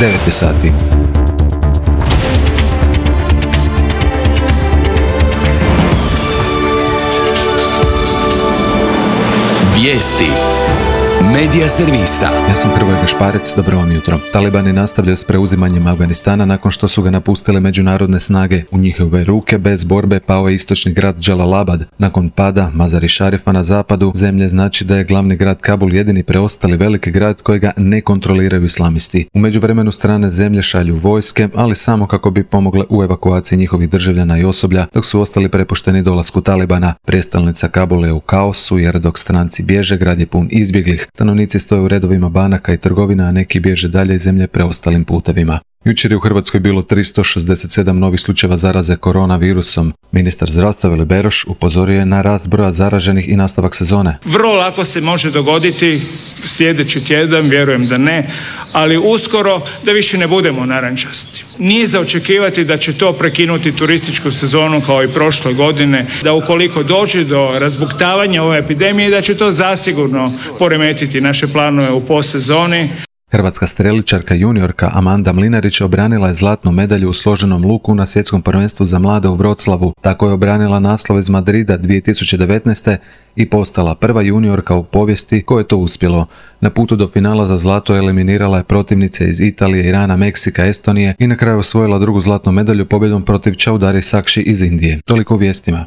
9 je sati. Vijesti Medija servisa. Ja sam Hrvoje Gašparec, dobro vam jutro. Talibani nastavljaju s preuzimanjem Afganistana nakon što su ga napustile međunarodne snage. U njihove ruke bez borbe pao je istočni grad Džalalabad. Nakon pada Mazar-i Šarifa na zapadu zemlje znači da je glavni grad Kabul jedini preostali veliki grad kojega ne kontroliraju islamisti. U međuvremenu strane zemlje šalju vojske, ali samo kako bi pomogle u evakuaciji njihovih državljana i osoblja, dok su ostali prepušteni dolasku Talibana. Prijestolnica Kabula je u kaosu jer dok stranci bježe, grad je pun izbjeglih. Stanovnici stoje u redovima banaka i trgovina, a neki bježe dalje iz zemlje preostalim putevima. Jučer je u Hrvatskoj bilo 367 novih slučajeva zaraze koronavirusom. Ministar zdravstva Vili Beroš upozorio je na rast broja zaraženih i nastavak sezone. Vrlo lako se može dogoditi sljedeći tjedan, vjerujem da ne, ali uskoro da više ne budemo narančasti. Nije za očekivati da će to prekinuti turističku sezonu kao i prošle godine, da ukoliko dođe do razbuktavanja ove epidemije, da će to zasigurno poremetiti naše planove u postsezoni. Hrvatska streličarka juniorka Amanda Mlinarić obranila je zlatnu medalju u složenom luku na svjetskom prvenstvu za mlade u Wroclawu. Tako je obranila naslov iz Madrida 2019. i postala prva juniorka u povijesti koje je to uspjelo. Na putu do finala za zlato eliminirala je protivnice iz Italije, Irana, Meksika, Estonije i na kraju osvojila drugu zlatnu medalju pobjedom protiv Chaudhary Sakshi iz Indije. Toliko u vijestima.